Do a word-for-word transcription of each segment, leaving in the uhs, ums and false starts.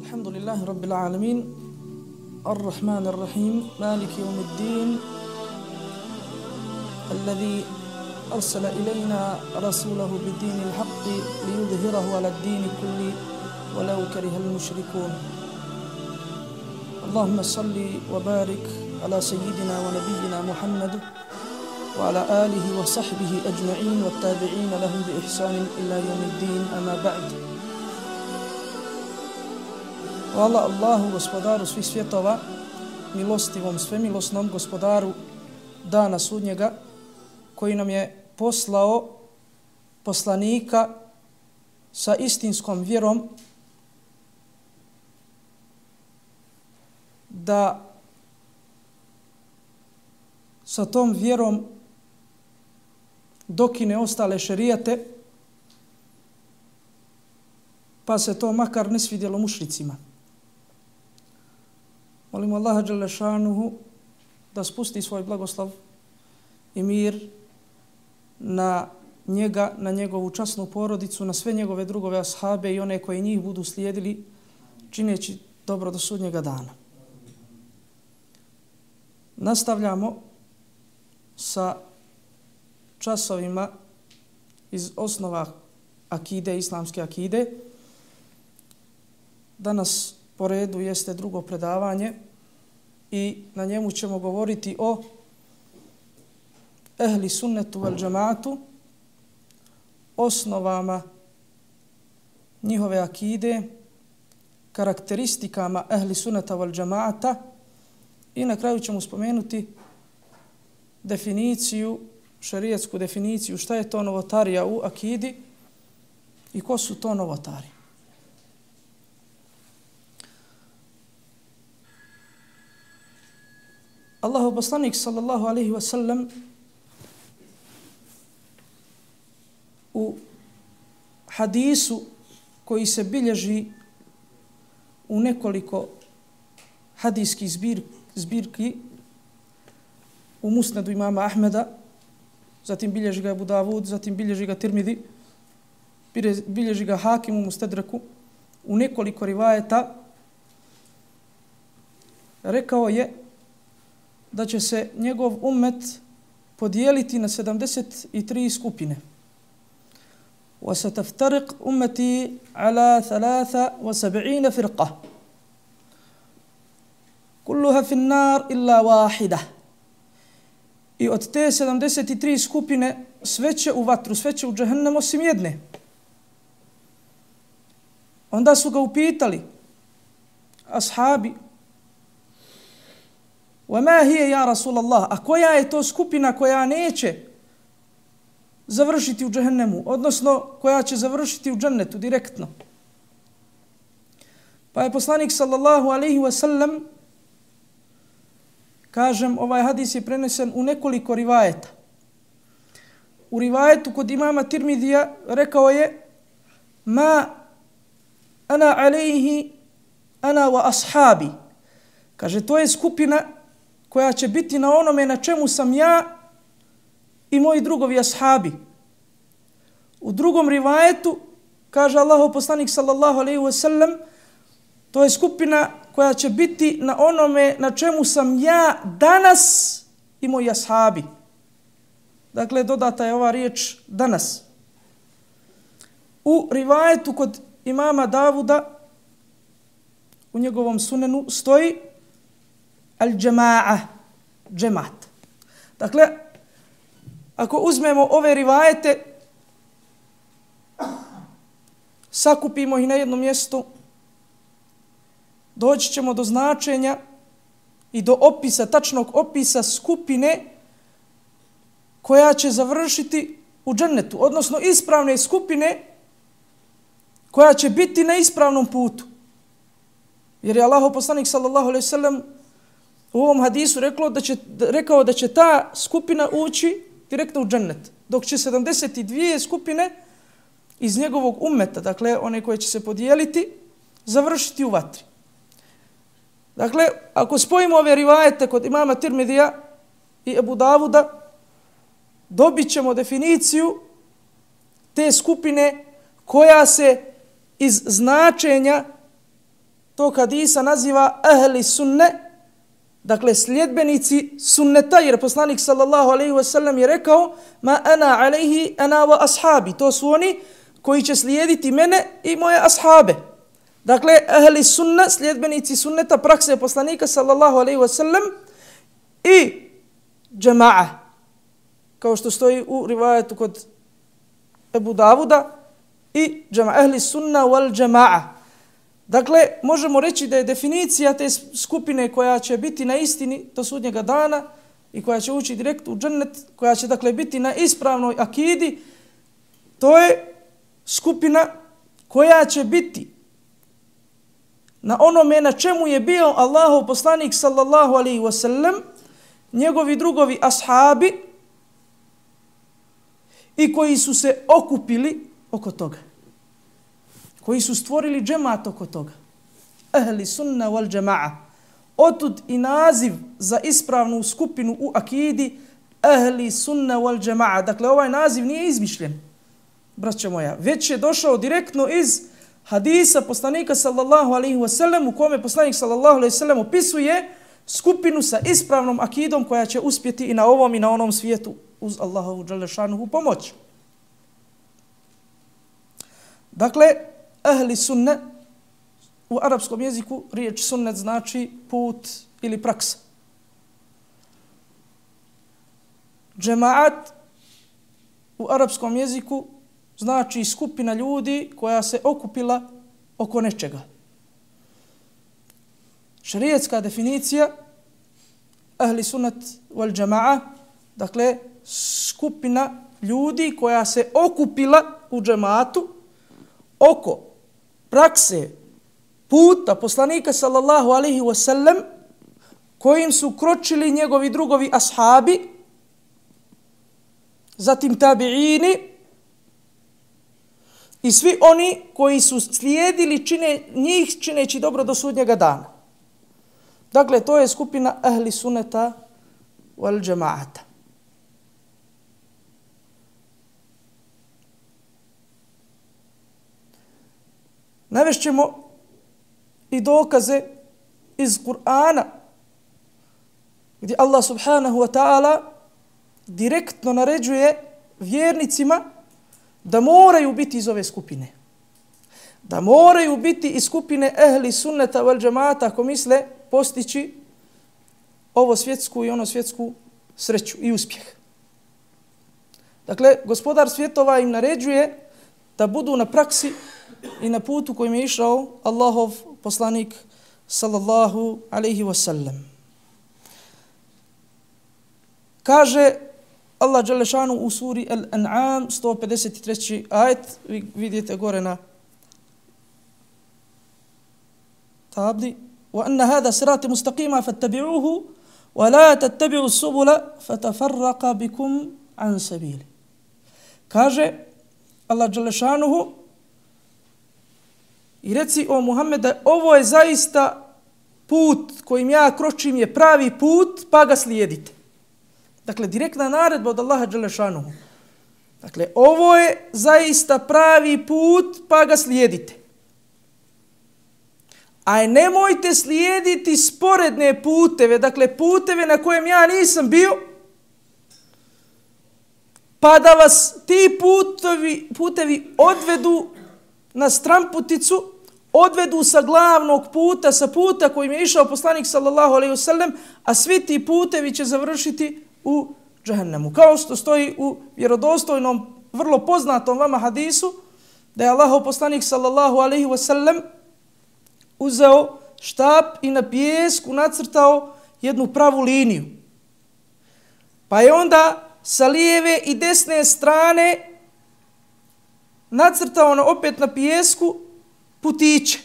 الحمد لله رب العالمين الرحمن الرحيم مالك يوم الدين الذي أرسل إلينا رسوله بالدين الحق ليظهره على الدين كله ولو كره المشركون. اللهم صل وبارك على سيدنا ونبينا محمد وعلى آله وصحبه أجمعين والتابعين لهم بإحسان إلى يوم الدين. أما بعد. Hvala Allahu, gospodaru svih svjetova, milostivom, svemilosnom gospodaru dana sudnjega, koji nam je poslao poslanika sa istinskom vjerom da sa tom vjerom dokine ostale šerijate, pa se to makar ne svidjelo mušricima. Molimo Allaha dželle šanuhu da spusti svoj blagoslov i mir na njega, na njegovu časnu porodicu, na sve njegove drugove ashabe i one koji njih budu slijedili čineći dobro do sudnjega dana. Nastavljamo sa časovima iz osnova akide, islamske akide. Danas po redu jeste drugo predavanje i na njemu ćemo govoriti o ehli sunnetu vel džemaatu, osnovama njihove akide, karakteristikama ehli sunneta vel džemaata i na kraju ćemo spomenuti definiciju, šerijetsku definiciju šta je to novotarija u akidi i ko su to novotari. Allahov poslanik sallallahu alejhi ve sellem u hadisu koji se bilježi u nekoliko hadijskih zbir, zbirki u Musnedu imama Ahmeda, zatim bilježi ga Abu Davud, zatim bilježi ga Tirmidi, bilježi ga Hakim u Mustadreku, u nekoliko rivajeta rekao je da će se njegov ummet podijeliti na sedamdeset tri skupine. وَسَتَفْتَرِقْ أُمَّتِي عَلَى ثَلَاثَ وَسَبْعِينَ فِرْقَةً كُلُّهَا فِي النَّارِ إِلَّا وَاحِدَةً. I od te sedamdeset tri skupine sve će u vatru, sve će u džehennem osim jedne. Onda su ga upitali ashabi: وَمَا هِيَ يَا رَسُولَ اللَّهِ, a koja je to skupina koja neće završiti u džehennemu, odnosno koja će završiti u džennetu direktno? Pa je poslanik sallallahu alejhi ve sellem, kažem, ovaj hadis je prenesen u nekoliko rivajeta. U rivajetu kod imama Tirmidija rekao je: ma ana alejhi ana wa ashabi. Kaže, to je skupina koja će biti na onome na čemu sam ja i moji drugovi ashabi. U drugom rivajetu kaže Allahov poslanik sallallahu alejhi ve sellem, to je skupina koja će biti na onome na čemu sam ja danas i moji ashabi. Dakle, dodata je ova riječ danas. U rivajetu kod imama Davuda u njegovom sunenu stoji al-džema'a, džemat. Dakle, ako uzmemo ove rivajete, sakupimo ih na jednom mjestu, doći ćemo do značenja i do opisa, tačnog opisa skupine koja će završiti u džennetu, odnosno ispravne skupine koja će biti na ispravnom putu. Jer je Allahov poslanik sallallahu alejhi ve sellem u ovom hadisu rekao da će, rekao da će ta skupina ući direktno u džennet, dok će sedamdeset dvije skupine iz njegovog ummeta, dakle one koje će se podijeliti, završiti u vatri. Dakle, ako spojimo ove rivajete kod imama Tirmidija i Abu Davuda, dobit ćemo definiciju te skupine koja se iz značenja tog hadisa naziva ahli sunne, dakle sljedbenici sunneta, jer poslanik sallallahu alejhi ve sellem je rekao ma ana alejhi ana wa ashabi, to su oni koji će slijediti mene i moje ashabe. Dakle, ahli sunna, sljedbenici sunneta, prakse poslanika sallallahu alejhi ve sellem i džema'a, kao što stoji u rivajetu kod Ebu Davuda, i džema'a, ahli sunna wal džema'a. Dakle, možemo reći da je definicija te skupine koja će biti na istini do sudnjega dana i koja će ući direkt u džennet, koja će dakle biti na ispravnoj akidi, to je skupina koja će biti na onome na čemu je bio Allahov poslanik sallallahu alejhi ve sellem, njegovi drugovi ashabi i koji su se okupili oko toga, koji su stvorili džemat oko toga. Ahli sunna wal džema'a. Otud i naziv za ispravnu skupinu u akidi ahli sunna wal džema'a. Dakle, ovaj naziv nije izmišljen, braćo moja, već je došao direktno iz hadisa poslanika sallallahu alejhi ve sellem, u kome poslanik sallallahu alejhi ve sellem opisuje skupinu sa ispravnom akidom koja će uspjeti i na ovom i na onom svijetu uz Allahovu dželle šanuhu pomoć. Dakle, ahli sunne u arapskom jeziku riječ sunnet znači put ili praksa. Džemaat u arapskom jeziku znači skupina ljudi koja se okupila oko nečega. Šerijatska definicija ahli sunnet wal džema'a, dakle skupina ljudi koja se okupila u džematu oko prakse puta poslanika sallallahu alejhi ve sellem, kojim su kročili njegovi drugovi ashabi, zatim tabiini i svi oni koji su slijedili čine, njih čineći dobro do sudnjega dana. Dakle, to je skupina ahli sunneta wal džemaata. Navešćemo i dokaze iz Kur'ana, gdje Allah subhanahu wa ta'ala direktno naređuje vjernicima da moraju biti iz ove skupine. Da moraju biti iz skupine ehli sunneta wal džemaata ako misle postići ovo svjetsku i ono svjetsku sreću i uspjeh. Dakle, gospodar svjetova im naređuje da budu na praksi i na putu kojim je išao Allahov poslanik sallallahu alejhi ve sellem. Kaže Allah dželle šanu u suri Al-An'am sto pedeset treći ajet, vi vidite gore na tabli, wa anna hada sirati mustaqima fattabi'uhu wa la tattabi'u subula fatafarraqa bikum an sabili. Kaže Allah dželle šanuhu i reci o Muhammede, ovo je zaista put kojim ja kročim je pravi put, pa ga slijedite. Dakle, direktna naredba od Allaha dželle šanuhu. Dakle, ovo je zaista pravi put, pa ga slijedite. A nemojte slijediti sporedne puteve, dakle, puteve na kojem ja nisam bio, pa da vas ti putevi, putevi odvedu na stramputicu, odvedu sa glavnog puta, sa puta kojim je išao poslanik sallallahu alejhi ve sellem, a svi ti putevi će završiti u džehennemu. Kao što stoji u vjerodostojnom, vrlo poznatom vama hadisu, da je Allahov poslanik sallallahu alejhi ve sellem uzeo štap i na pijesku nacrtao jednu pravu liniju. Pa je onda sa lijeve i desne strane nacrtao na opet na pijesku putiće.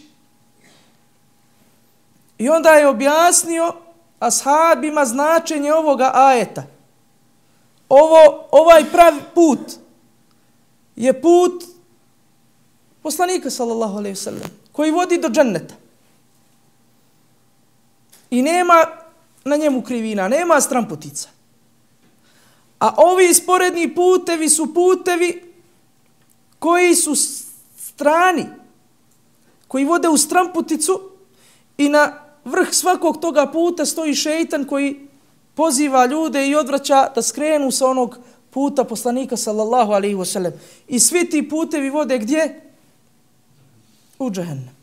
I onda je objasnio ashabima značenje ovoga ajeta. Ovo, ovaj pravi put je put poslanika sallallahu alejhi ve sellem koji vodi do dženneta. I nema na njemu krivina, nema stramputica. A ovi sporedni putevi su putevi koji su strani, koji vode u stramputicu i na vrh svakog toga puta stoji šeitan koji poziva ljude i odvraća da skrenu sa onog puta poslanika sallallahu alaihi wasallam. I svi ti putevi vode gdje? U džehennem.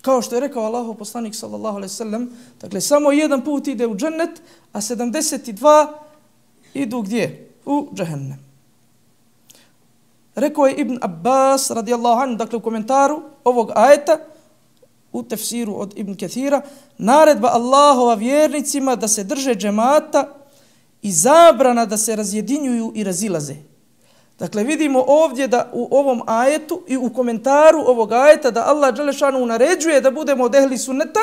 Kao što je rekao Allahov poslanik sallallahu alejhi ve sellem, dakle samo jedan put ide u džennet, a sedamdeset dva idu gdje? U džehennem. Rekao je Ibn Abbas radijallahu anhu, dakle u komentaru ovog ajeta, u tefsiru od Ibn Kathira, naredba Allahova vjernicima da se drže džemata i zabrana da se razjedinjuju i razilaze. Dakle, vidimo ovdje da u ovom ajetu i u komentaru ovog ajeta da Allah dželešanu naređuje da budemo od ehli sunneta,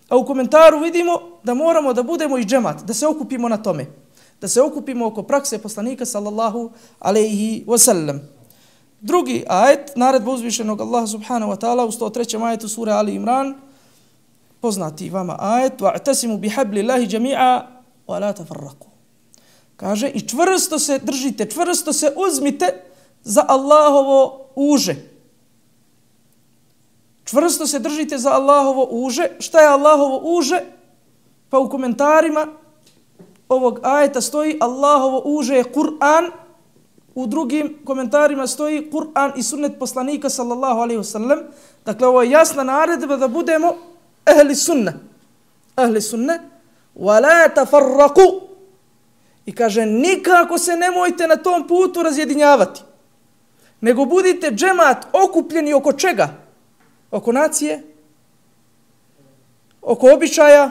a u komentaru vidimo da moramo da budemo i džemat, da se okupimo na tome, da se okupimo oko prakse poslanika sallallahu alejhi ve sellem. Drugi ajet, naredba uzvišenog Allaha subhanahu wa ta'ala u sto trećem ajetu sure Ali Imran, poznati vama ajet, wa'tasimu bihablillahi jami'a wa la tafarraqu. Kaže, i čvrsto se držite, čvrsto se uzmite za Allahovo uže. Čvrsto se držite za Allahovo uže. Šta je Allahovo uže? Pa u komentarima ovog ajeta stoji Allahovo uže je Kur'an. U drugim komentarima stoji Kur'an i sunnet poslanika sallallahu alaihi wasallam. Dakle, ovo je jasna naredba da budemo ehli sunne. Ehli sunne. Wa la tafarraqu. I kaže, nikako se nemojte na tom putu razjedinjavati. Nego budite džemat okupljeni oko čega? Oko nacije? Oko običaja?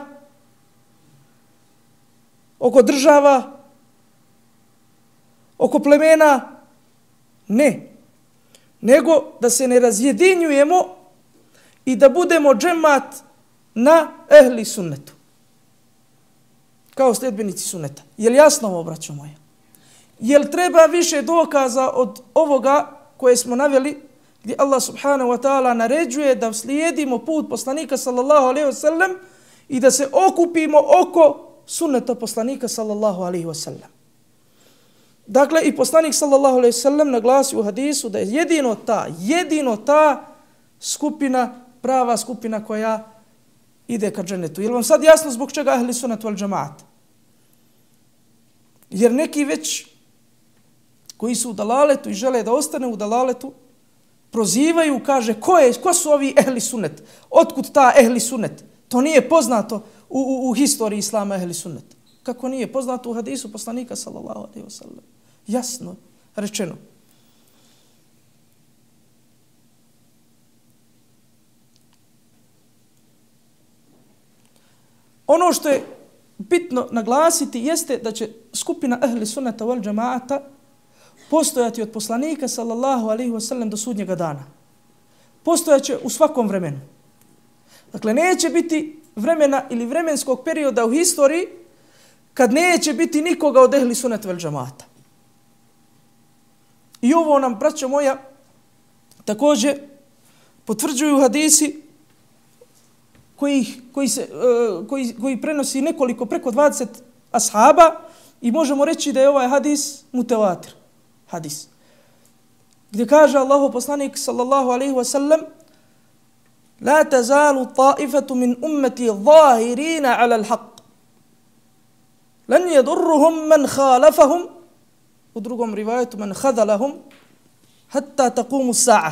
Oko država? Oko plemena? Ne. Nego da se ne razjedinjujemo i da budemo džemat na ehli sunnetu. Kao sljedbenici sunneta. Je li jasno ovo, braćo moja? Je li treba više dokaza od ovoga koje smo naveli, gdje Allah subhanahu wa ta'ala naređuje da slijedimo put poslanika sallallahu alaihi wa sallam i da se okupimo oko sunneta poslanika sallallahu alaihi wa sallam. Dakle, i poslanik sallallahu alaihi wa sallam naglasi u hadisu da je jedino ta, jedino ta skupina, prava skupina koja ide ka džennetu. Je li vam sad jasno zbog čega ahli sunnet wal džemaat? Jer neki već koji su u dalaletu i žele da ostane u dalaletu, prozivaju, kaže, ko, je, ko su ovi ehli sunnet? Otkud ta ehli sunnet? To nije poznato u, u, u historiji islama ehli sunnet. Kako nije poznato u hadisu poslanika sallallahu alejhi ve sellem? Jasno rečeno. Ono što je bitno naglasiti jeste da će skupina ehli sunneta wal džemaata postojati od poslanika sallallahu alejhi ve sellem do sudnjega dana. Postojaće u svakom vremenu. Dakle, neće biti vremena ili vremenskog perioda u historiji kad neće biti nikoga od ehli sunneta wal džemaata. I ovo nam, braćo moja, također potvrđuju hadisi koji, koji, se, uh, koji, koji prenosi nekoliko, preko dvadeset ashaba i možemo reći da je ovaj hadis mutevatir hadis. Gdje kaže Allahu poslanik sallallahu alaihi wa sallam la tazalu ta'ifatu min ummeti zahirina ala al-haq. Lan yadurruhum man khalafahum, u drugom rivajetu man khadalahum, hatta taqumu sa'a.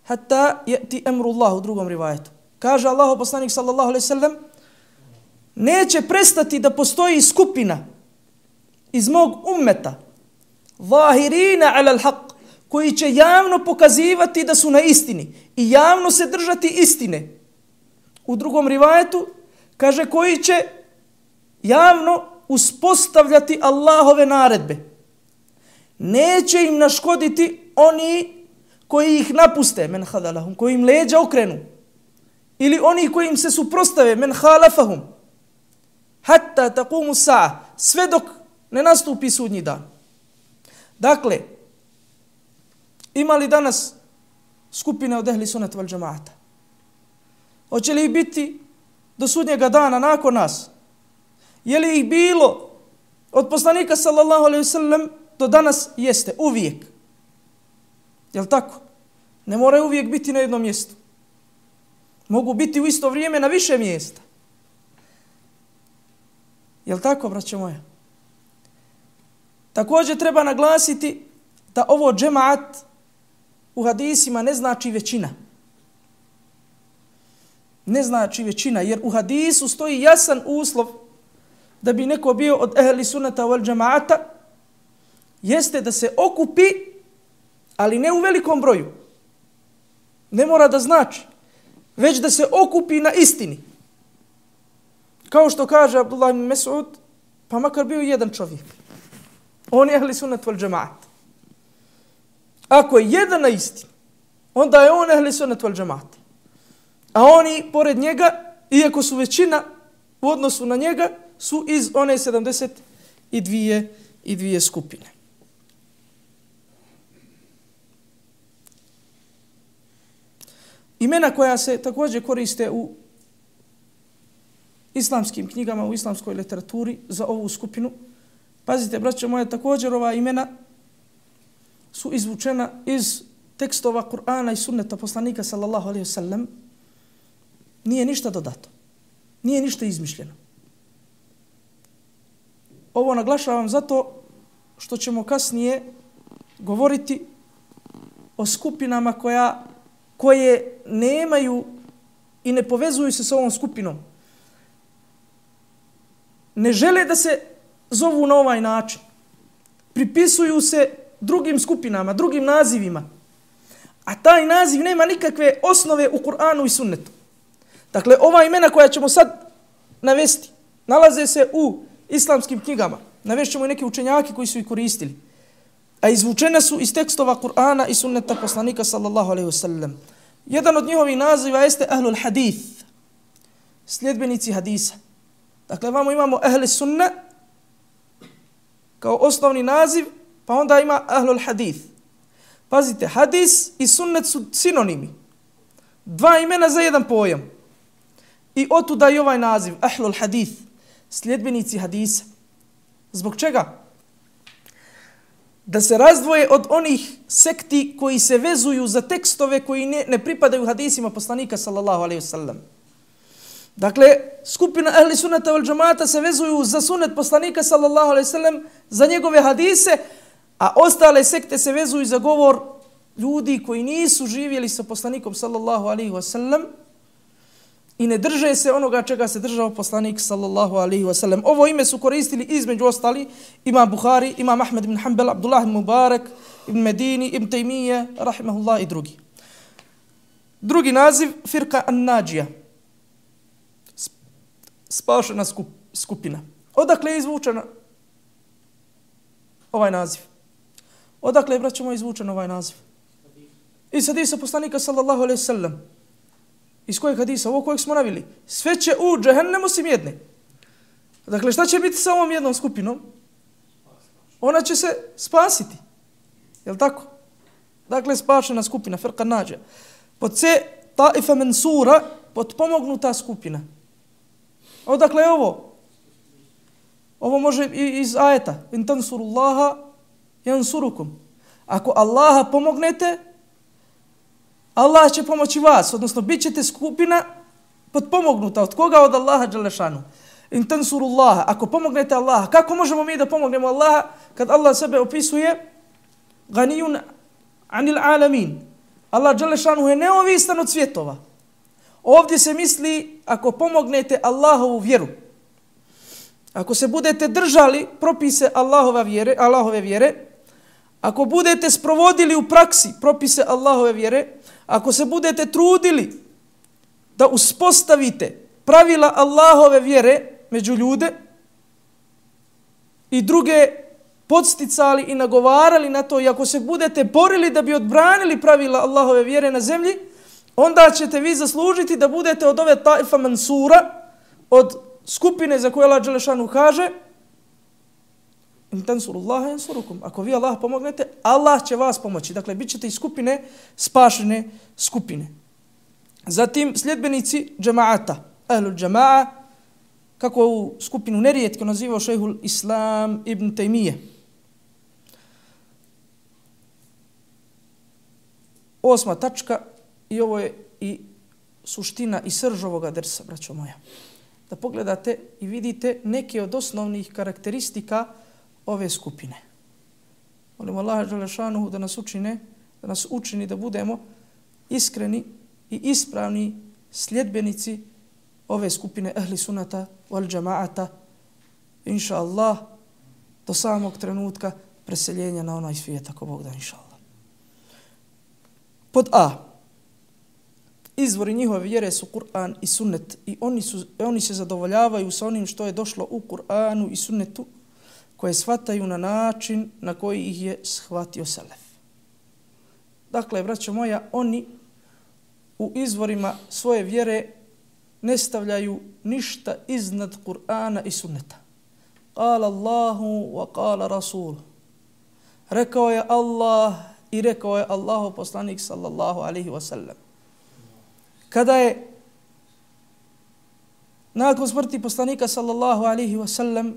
Hatta yati amru Allah, u drugom rivajetu. Kaže Allahu poslanik sallallahu alejhi ve sellem, neće prestati da postoji skupina iz mog ummeta, zahirina ala al-haq, koji će javno pokazivati da su na istini i javno se držati istine. U drugom rivajetu kaže koji će javno uspostavljati Allahove naredbe. Neće im naškoditi oni koji ih napuste, men hadalahum, koji im leđa okrenu, ili oni koji im se suprostave, men halafahum, hatta taqumu sa'a, sve dok ne nastupi sudnji dan. Dakle, ima li danas skupine od ehli sunneta wal džemaata? Hoće li ih biti do sudnjega dana nakon nas? Je li ih bilo od poslanika sallallahu alejhi ve sellem do danas? Jeste, uvijek. Jel tako? Ne moraju uvijek biti na jednom mjestu. Mogu biti u isto vrijeme na više mjesta. Jel' tako, braćo moja? Također treba naglasiti da ovo džemaat u hadisima ne znači većina. Ne znači većina, jer u hadisu stoji jasan uslov da bi neko bio od ehli sunnata wal džemaata, jeste da se okupi, ali ne u velikom broju. Ne mora da znači, već da se okupi na istini. Kao što kaže Abdullah ibn Mes'ud, pa makar bio jedan čovjek. On je ehli sunnat wal džemaat. Ako je jedan na istini, onda je on ehli sunnat wal džemaat. A oni, pored njega, iako su većina u odnosu na njega, su iz one sedamdeset dvije i dvije skupine. Imena koja se također koriste u islamskim knjigama, u islamskoj literaturi za ovu skupinu. Pazite, braćo moje, također ova imena su izvučena iz tekstova Kur'ana i sunneta poslanika sallallahu alejhi ve sellem. Nije ništa dodato. Nije ništa izmišljeno. Ovo naglašavam zato što ćemo kasnije govoriti o skupinama koja, koje nemaju i ne povezuju se s ovom skupinom. Ne žele da se zovu na ovaj način. Pripisuju se drugim skupinama, drugim nazivima. A taj naziv nema nikakve osnove u Kur'anu i sunnetu. Dakle, ova imena koja ćemo sad navesti, nalaze se u islamskim knjigama. Navešćemo i neke učenjake koji su ih koristili. A izvučene su iz tekstova Kur'ana i sunneta poslanika sallallahu alejhi ve sellem. Jedan od njihovih naziva jeste ahlul hadith, sljedbenici hadisa. Dakle, vamo imamo ahli sunna kao osnovni naziv, pa onda ima ahlul hadith. Pazite, hadis i sunnet su sinonimi. Dva imena za jedan pojam. I otuda i ovaj naziv, ahlul hadith, sljedbenici hadisa. Zbog čega? Da se razdvoje od onih sekti koji se vezuju za tekstove koji ne, ne pripadaju hadisima poslanika sallallahu alejhi ve sellem. Dakle, skupina ahli sunnata wal džamaata se vezuju za sunnet poslanika sallallahu alejhi ve sellem, za njegove hadise, a ostale sekte se vezuju za govor ljudi koji nisu živjeli sa poslanikom sallallahu alejhi ve sellem i ne drže se onoga čega se držao poslanik sallallahu alejhi ve sellem. Ovo ime su koristili između ostali Imam Buhari, Imam Ahmed ibn Hanbal, Abdullah ibn Mubarak, ibn Medini, ibn Taymije, rahimahullah i drugi. Drugi naziv, firka an-Nadžija. Spašena skup, skupina. Odakle je izvučena ovaj naziv? Odakle je, braćo moji, izvučen ovaj naziv? Iz hadisa poslanika sallallahu alejhi ve sellem. Iz kojeg hadisa? Ovo kojeg smo navili. Sve će u džehennem osim jedne. Dakle, šta će biti sa ovom jednom skupinom? Ona će se spasiti. Jel tako? Dakle, spašena skupina, firka nađa. Pod C, taifa mensura, potpomognuta skupina. Odakle je ovo? Ovo može i iz ajeta. In tansurullaha yansurukum. Ako Allaha pomognete, Allah će pomoći vas, odnosno bit ćete skupina potpomognuta. Od koga? Od Allaha dželle šanu. In tansurullaha. Ako pomognete Allaha, kako možemo mi da pomognemo Allaha kad Allah sebe opisuje ganijun anil alamin? Allah dželle šanu je neovisan od svjetova. Ovdje se misli ako pomognete Allahovu vjeru. Ako se budete držali propise Allahove vjere, Allahove vjere, ako budete sprovodili u praksi propise Allahove vjere, ako se budete trudili da uspostavite pravila Allahove vjere među ljude i druge podsticali i nagovarali na to, i ako se budete borili da bi odbranili pravila Allahove vjere na zemlji, onda ćete vi zaslužiti da budete od ove taifa mansura, od skupine za koje Allah dželle šanu kaže in tansurullaha yansurukum. Ako vi Allah pomognete, Allah će vas pomoći. Dakle, bit ćete iz skupine spašene skupine. Zatim, sljedbenici džemaata, ahlul džemaa, kako ovu skupinu nerijetko nazivao šejhul Islam ibn Taymije. Osma tačka, i ovo je i suština i srž ovoga dersa, braćo moja. Da pogledate i vidite neke od osnovnih karakteristika ove skupine. Molimo Allaha dželle šanuhu da nas učine, da nas učini da budemo iskreni i ispravni sljedbenici ove skupine ehli sunata wal džamaata, inša Allah, do samog trenutka preseljenja na onaj svijet, ako Bog da, inša Allah. Pod A. Izvori njihove vjere su Kur'an i sunnet i oni, su, oni se zadovoljavaju sa onim što je došlo u Kur'anu i sunnetu, koje shvataju na način na koji ih je shvatio selef. Dakle, braćo moja, oni u izvorima svoje vjere ne stavljaju ništa iznad Kur'ana i sunneta. Kala Allahu wa kala Rasul. Rekao je Allah i rekao je Allahov poslanik sallallahu alaihi wa sallam. Kada je nakon smrti poslanika sallallahu alaihi wa sallam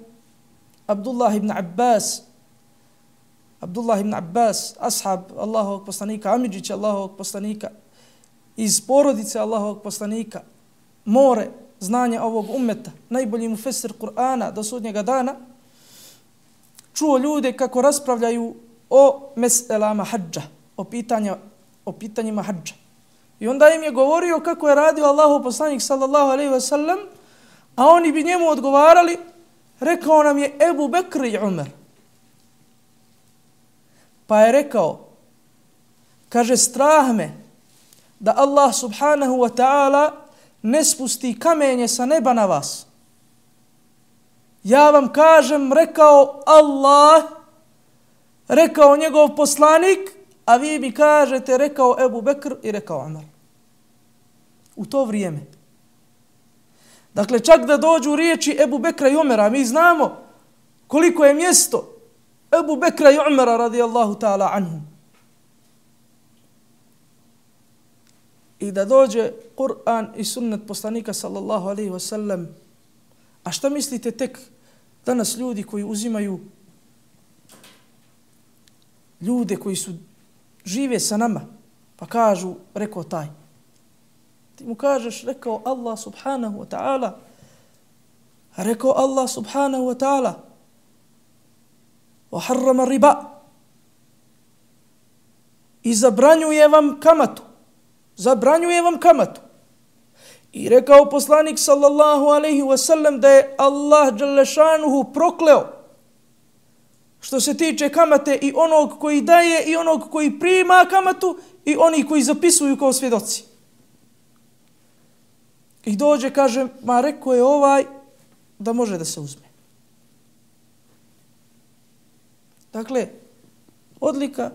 Abdullah ibn Abbas Abdullah ibn Abbas, ashab Allahovog poslanika, amidžić Allahovog poslanika, iz porodice Allahovog poslanika, more znanja ovog ummeta, najbolji mufesir Kur'ana do sudnjega dana, čuo ljude kako raspravljaju o meselama hadža, o, pitanja, o pitanjima hadža. I onda im je govorio kako je radio Allahov poslanik sallallahu alejhi ve sellem, a oni bi njemu odgovarali, rekao nam je Ebu Bekr i Umar. Pa je rekao, kaže, strah me da Allah subhanahu wa ta'ala ne spusti kamenje sa neba na vas. Ja vam kažem, rekao Allah, rekao njegov poslanik, a vi mi kažete, rekao Ebu Bekr i rekao Umar. U to vrijeme. Dakle, čak da dođu riječi Ebu Bekra i Umara, mi znamo koliko je mjesto Ebu Bekra i Umara radijallahu ta'ala anhum. I da dođe Kur'an i sunnet poslanika sallallahu alaihi wa sallam. A šta mislite tek danas ljudi koji uzimaju ljude koji su žive sa nama, pa kažu, rekao taj. Ti mu kažeš, rekao Allah subhanahu wa ta'ala, rekao Allah subhanahu wa ta'ala, وَحَرَّمَ riba, i zabranjuje vam kamatu. Zabranjuje vam kamatu. I rekao poslanik sallallahu alaihi wa sallam da je Allah dželle šanuhu prokleo što se tiče kamate i onog koji daje i onog koji prima kamatu i oni koji zapisuju kao svjedoci. I dođe, kaže, ma rekao je ovaj da može da se uzme. Dakle, odlika,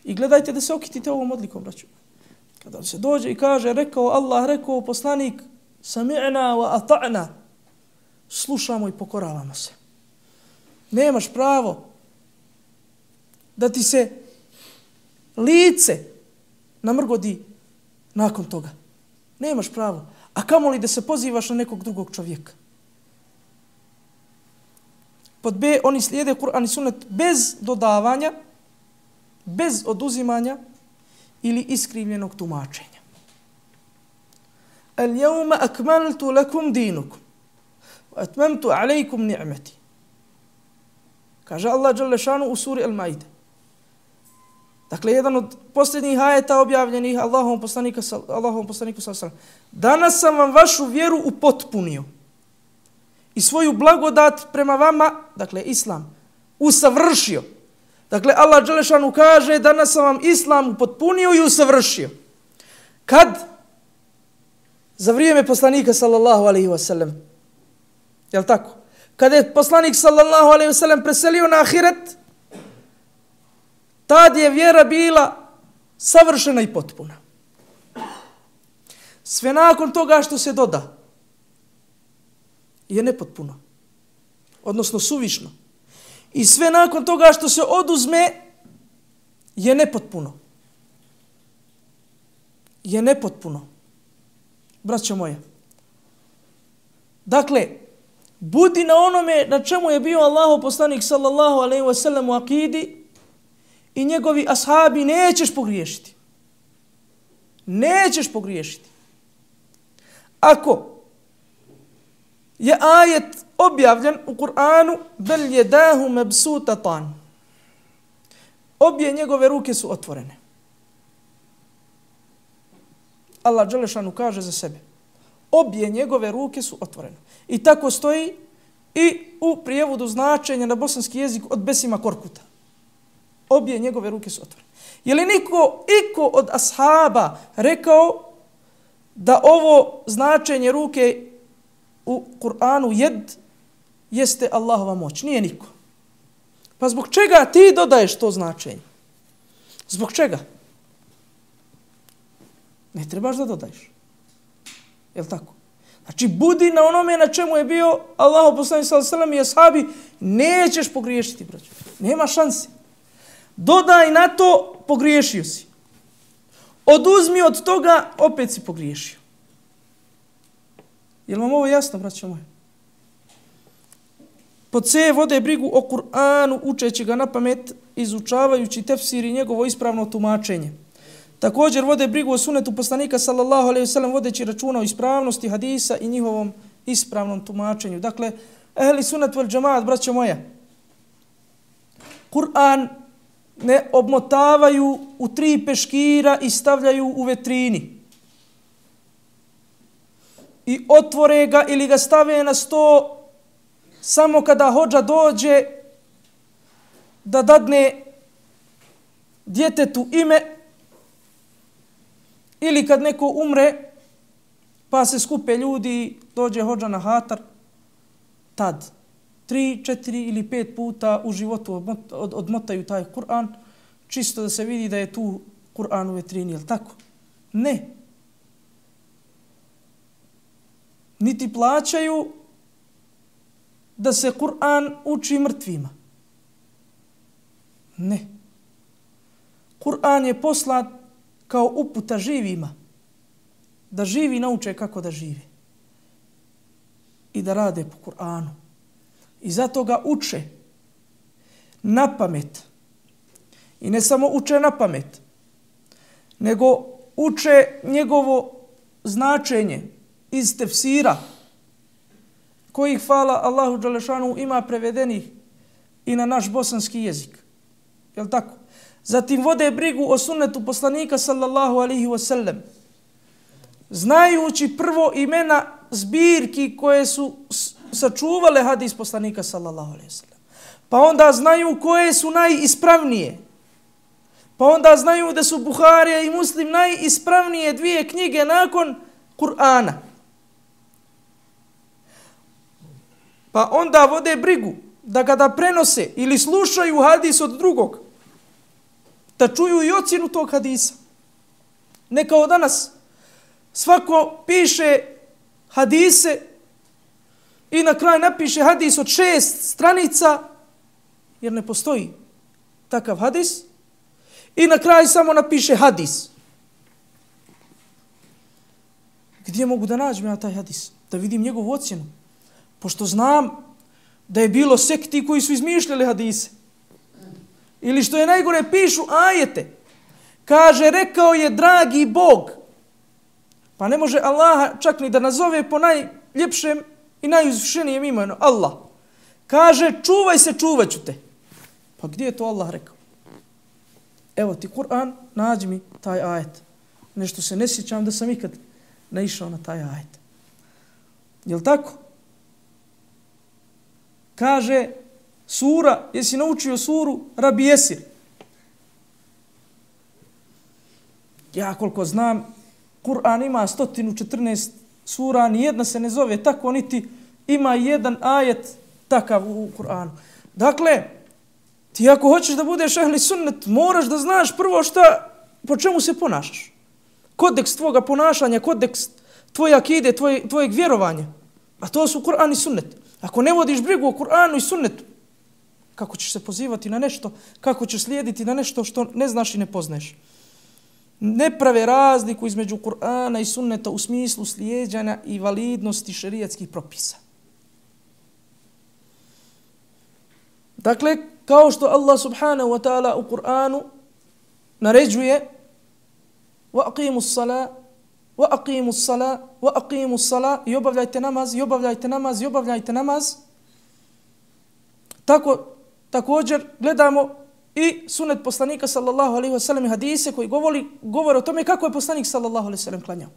i gledajte da se okitite ovom odlikom, braću. Kada se dođe i kaže, rekao Allah, rekao poslanik, sami'na wa ata'na, slušamo i pokoravamo se. Nemaš pravo da ti se lice namrgodi nakon toga. Nemaš pravo. A kamoli da se pozivaš na nekog drugog čovjeka. Pod B, oni slijede Kur'an i sunnet bez dodavanja, bez oduzimanja ili iskrivljenog tumačenja. Al-yawma akmaltu lakum dinukum wa atmamtu alaykum ni'mati. Kaže Allah dželle šanu u suri Al-Maide. Dakle, jedan od posljednjih ajeta objavljenih Allahovom poslaniku Allahovom poslaniku sallallahu alejhi ve sellem. Danas sam vam vašu vjeru upotpunio i svoju blagodat prema vama, dakle islam, usavršio. Dakle, Allah dželle šanu kaže, danas sam vam islam upotpunio i usavršio. Kad? Za vrijeme poslanika sallallahu alejhi ve sellem. Jel tako? Kada je poslanik sallallahu alejhi ve sellem preselio na ahiret, tad je vjera bila savršena i potpuna. Sve nakon toga što se doda je nepotpuno, odnosno suvišno. I sve nakon toga što se oduzme je nepotpuno. Je nepotpuno. Braćo moje. Dakle, budi na onome na čemu je bio Allahov poslanik sallallahu alejhi ve sellem u akidi i njegovi ashabi, nećeš pogriješiti. Nećeš pogriješiti. ako je ajet objavljen u Kur'anu bel jedahu mebsutatan, obje njegove ruke su otvorene. Allah dželešanu kaže za sebe, obje njegove ruke su otvorene. I tako stoji i u prijevodu značenja na bosanski jezik od Besima Korkuta. Obje njegove ruke su otvorene. Je li niko, iko od ashaba rekao da ovo značenje ruke u Kur'anu jed jeste Allahova moć? Nije niko. Pa zbog čega ti dodaješ to značenje? Zbog čega? Ne trebaš da dodaješ. Jel' tako? Znači, budi na onome na čemu je bio Allahu poslanik sallallahu alejhi ve sellem i ashabi, nećeš pogriješiti, braćo. Nema šanse. Dodaj na to, pogriješio si. Oduzmi od toga, opet si pogriješio. Jel' vam ovo jasno, braćo moje? Pod C vode brigu o Kur'anu, učeći ga na pamet, izučavajući tefsir i njegovo ispravno tumačenje. Također vode brigu o sunetu poslanika sallallahu alejhi ve sellem, vodeći računa o ispravnosti hadisa i njihovom ispravnom tumačenju. Dakle, ehli sunnet vel džemaat, braćo moja, Kur'an ne obmotavaju u tri peškira i stavljaju u vetrini. I otvore ga ili ga stave na sto samo kada hodža dođe da dadne djetetu ime, ili kad neko umre pa se skupe ljudi, dođe hodža na hatar, tad tri, četiri ili pet puta u životu odmotaju taj Kur'an, čisto da se vidi da je tu Kur'an u vetrini, jel' tako? Ne. Niti plaćaju da se Kur'an uči mrtvima. Ne. Kur'an je poslat kao uputa živima, da živi nauče kako da živi i da rade po Kur'anu. I zato ga uče na pamet. I ne samo uče na pamet, nego uče njegovo značenje iz tefsira, kojih, hvala Allahu dželešanu, ima prevedenih i na naš bosanski jezik. Jel' tako? Zatim vode brigu o sunnetu poslanika sallallahu alejhi ve sellem, znajući prvo imena zbirki koje su sačuvale hadis poslanika sallallahu alejhi ve sellem. Pa onda znaju koje su najispravnije. Pa onda znaju da su Buharija i Muslim najispravnije dvije knjige nakon Kur'ana. Pa onda vode brigu da kada prenose ili slušaju hadis od drugog, da čuju i ocjenu tog hadisa. Ne kao danas. Svako piše hadise i na kraju napiše hadis od šest stranica, jer ne postoji takav hadis, i na kraju samo napiše hadis. Gdje mogu da nađem ja taj hadis? Da vidim njegovu ocjenu. Pošto znam da je bilo sekti koji su izmišljali hadise. Ili što je najgore, pišu ajete. Kaže, rekao je dragi Bog. Pa ne može Allaha čak ni da nazove po najljepšem i najuzvišenijem imenu. Allah. Kaže, čuvaj se, čuvat ću te. Pa gdje je to Allah rekao? Evo ti Kur'an, nađi mi taj ajet. Nešto se ne sjećam da sam ikad naišao na taj ajet. Jel' tako? Kaže, sura, jesi naučio suru Rabi Jesir? Ja koliko znam, Kur'an ima sto četrnaest sura, nijedna se ne zove tako, niti ima jedan ajet takav u Kur'anu. Dakle, ti ako hoćeš da budeš ehli sunnet, moraš da znaš prvo šta, po čemu se ponašaš. Kodeks tvoga ponašanja, kodeks tvoje akide, tvoje, tvojeg vjerovanja. A to su Kur'an i sunnet. Ako ne vodiš brigu o Kur'anu i sunnetu, kako ćeš se pozivati na nešto, kako ćeš slijediti na nešto što ne znaš i ne poznaješ. Ne prave razliku između Kur'ana i sunneta u smislu slijeđanja i validnosti šerijatskih propisa. Dakle, kao što Allah subhanahu wa ta'ala u Kur'anu naređuje وَأَقِيمُوا الصَّلَاةَ wa aqimus sala, wa aqimus sala, i obavljajte namaz, i obavljajte namaz, i obavljajte namaz. Tako, također gledamo i sunet poslanika sallallahu alejhi ve sellem hadise koji govori, govore o tome kako je poslanik sallallahu alejhi ve sellem klanjao.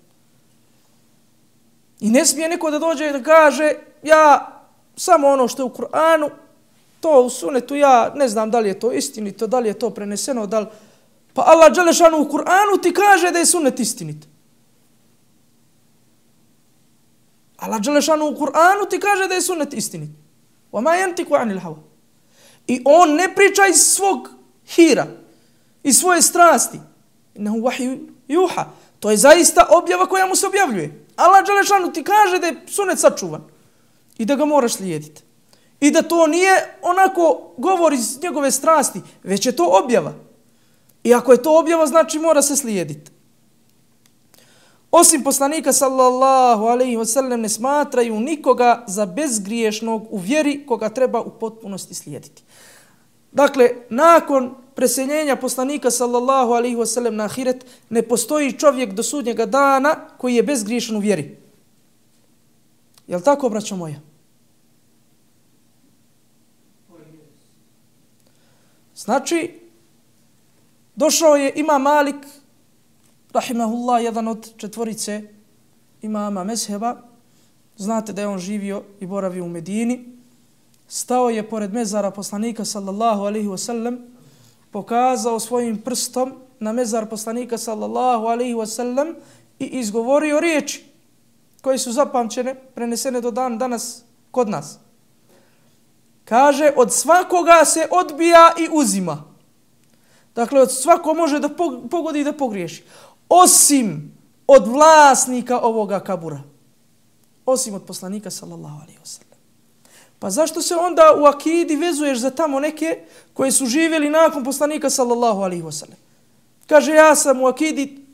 I ne smije neko da dođe i da kaže ja samo ono što je u Kur'anu, to u sunetu ja ne znam da li je to istinito, da li je to preneseno, da li... Pa Allah dželešanu u Kur'anu ti kaže da je sunet istinit. Allah dželešanu u Kur'anu ti kaže da je sunet istinit. Wa ma yantiqu anil hawa. I on ne priča iz svog hira, iz svoje strasti. Innahu wahyu yuha. To je zaista objava koja mu se objavljuje. Allah dželešanu ti kaže da je sunet sačuvan i da ga moraš slijediti. I da to nije onako govor iz njegove strasti, već je to objava. I ako je to objava, znači mora se slijediti. Osim poslanika sallallahu alejhi ve sellem ne smatraju nikoga za bezgriješnog u vjeri koga treba u potpunosti slijediti. Dakle, nakon preseljenja poslanika sallallahu alejhi ve sellem na ahiret ne postoji čovjek do sudnjega dana koji je bezgriješan u vjeri. Jel tako, braćo moja? Znači, došao je imam Malik, rahimahullah, jedan od četvorice imama mezheba. Znate da je on živio i boravio u Medini. Stao je pored mezara poslanika sallallahu alejhi ve sellem, pokazao svojim prstom na mezar poslanika sallallahu alejhi ve sellem i izgovorio riječi koje su zapamćene, prenesene do dan danas kod nas. Kaže, od svakoga se odbija i uzima. Dakle, od svako može da pogodi i da pogriješi. Osim od vlasnika ovoga kabura. Osim od poslanika sallallahu alejhi ve sellem. Pa zašto se onda u akidi vezuješ za tamo neke koji su živjeli nakon poslanika sallallahu alejhi ve sellem? Kaže, ja sam u akidi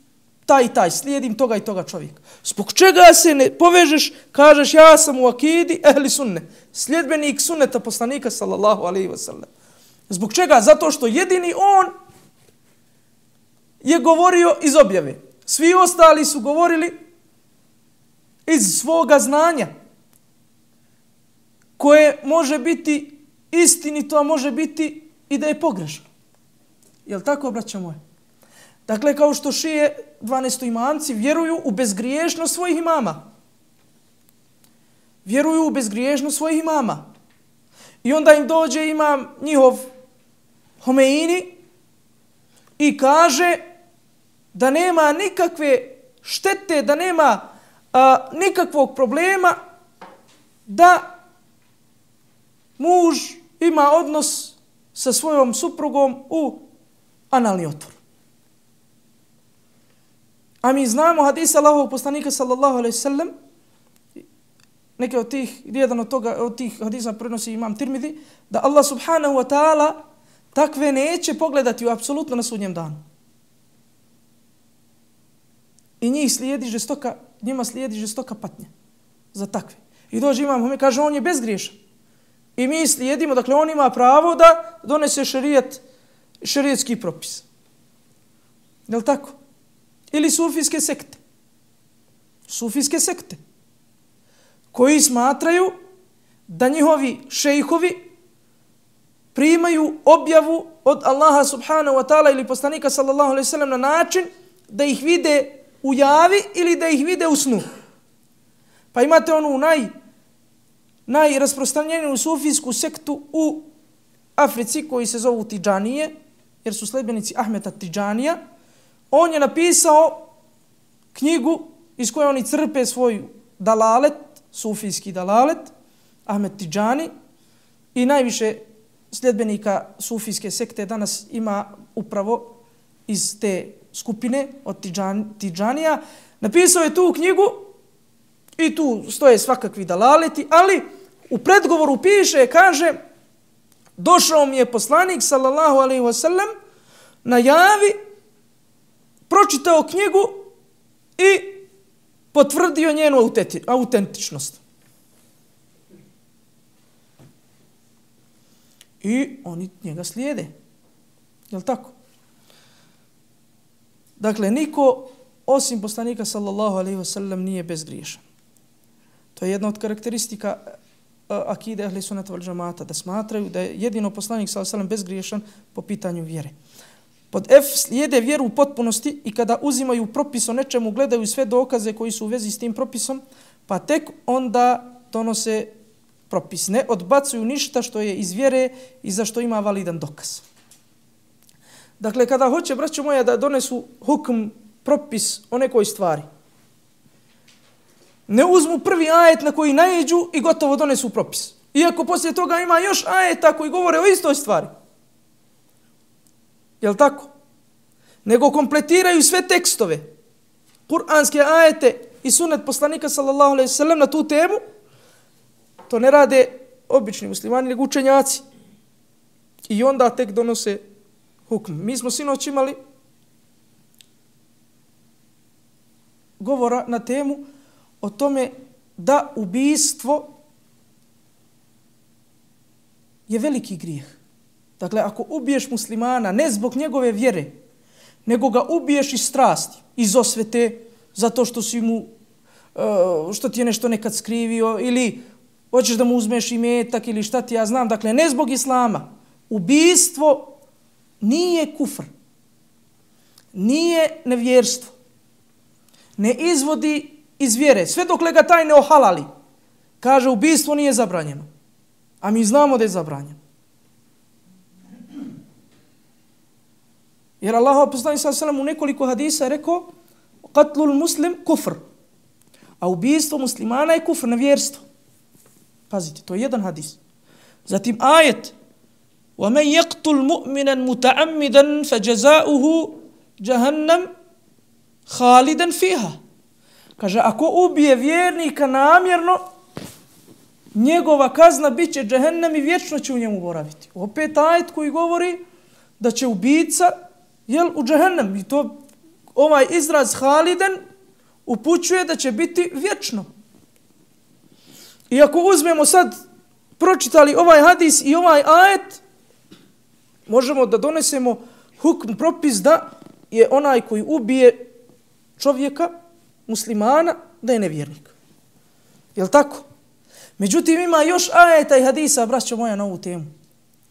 taj i taj, slijedim toga i toga čovjeka. Zbog čega se ne povežeš, kažeš ja sam u akidi ehli sunne, sljedbenik sunneta poslanika sallallahu alejhi ve sellem. Zbog čega? Zato što jedini on je govorio iz objave. Svi ostali su govorili iz svoga znanja, koje može biti istinito, a može biti i da je pogrešno. Jel tako, braćo moje? Dakle, kao što šije dvanaestoimamci vjeruju u bezgriješnost svojih imama. Vjeruju u bezgriješnost svojih imama. I onda im dođe imam njihov Homeini i kaže da nema nikakve štete, da nema a, nikakvog problema da muž ima odnos sa svojom suprugom u analni otvor. A mi znamo hadisa Allahovog poslanika sallallahu alejhi ve sellem, neke od tih, jedan od, toga, od tih hadisa prenosi imam Tirmidhi, da Allah subhanahu wa ta'ala takve neće pogledati u apsolutno na sudnjem danu. I njih slijedi žestoka, njima slijedi žestoka patnja za takve. I dođe imam, kaže on je bezgriješan. I mi slijedimo, dakle on ima pravo da donese šerijat, šerijetski propis. Je li tako? Ili sufijske sekte. Sufijske sekte. Koji smatraju da njihovi šejhovi primaju objavu od Allaha subhanahu wa ta'ala ili poslanika sallallahu alejhi ve sellem na način da ih vide u javi ili da ih vide u snu. Pa imate onu naj, najrasprostranjeniju sufijsku sektu u Africi koji se zovu Tidžanije, jer su sledbenici Ahmeta Tidžanija. On je napisao knjigu iz koje oni crpe svoj dalalet, sufijski dalalet, Ahmed Tidžani, i najviše sljedbenika sufijske sekte danas ima upravo iz te skupine od Tidžan, Tidžanija. Napisao je tu knjigu i tu stoje svakakvi dalaleti, ali u predgovoru piše, kaže, došao mi je poslanik sallallahu alejhi ve sellem na javi, pročitao knjigu i potvrdio njenu autentičnost. I oni njega slijede. Je li tako? Dakle, niko osim poslanika sallallahu alejhi ve sellem nije bezgriješan. To je jedna od karakteristika akide ehli sunnata wal džemata, da smatraju da je jedino poslanik sallallahu alejhi ve sellem bezgriješan po pitanju vjere. Pod F slijede vjeru u potpunosti i kada uzimaju propis o nečemu, gledaju sve dokaze koji su u vezi s tim propisom, pa tek onda donose propis. Ne odbacuju ništa što je iz vjere i za što ima validan dokaz. Dakle, kada hoće, braćo moja, da donesu hukm, propis o nekoj stvari, ne uzmu prvi ajet na koji naiđu i gotovo donesu propis. Iako poslije toga ima još ajeta koji govore o istoj stvari. Jel' tako? Nego kompletiraju sve tekstove, kuranske ajete i sunnet poslanika sallallahu alejhi ve sellem na tu temu. To ne rade obični muslimani, nego učenjaci. I onda tek donose hukm. Mi smo sinoć imali govora na temu o tome da ubijstvo je veliki grijeh. Dakle, ako ubiješ muslimana ne zbog njegove vjere, nego ga ubiješ iz strasti, iz osvete, zato što si mu, što ti je nešto nekad skrivio, ili hoćeš da mu uzmeš imetak, ili šta ti ja znam, dakle, ne zbog islama. Ubijstvo nije kufr, nije nevjerstvo, ne izvodi iz vjere, sve dokle ga taj ne ohalali. Kaže, ubijstvo nije zabranjeno, a mi znamo da je zabranjeno. Jer Allah poslanik sallallahu alejhi ve sellem u nekoliko hadisa je rekao qatlul muslim kufr. A ubijstvo muslimana je kufr, nevjerstvo. Pazite, to je jedan hadis. Zatim ajet وَمَنْ يَقْتُلْ مُؤْمِنًا مُتَعَمِّدًا فَجَزَاؤُهُ جَهَنَّمْ خَالِدًا فِيهَا. Kaže, ako ubije vjernika namjerno, njegova kazna bit će džehennem i vječno će u njemu boraviti. Opet ajet koji govori da će ubica jel, u džehennem. I to ovaj izraz haliden upućuje da će biti vječno. I ako uzmemo sad, pročitali ovaj hadis i ovaj ajet, možemo da donesemo hukm, propis da je onaj koji ubije čovjeka, muslimana, da je nevjernik. Jel' tako? Međutim, ima još ajeta i hadisa, braćo moja, na ovu temu.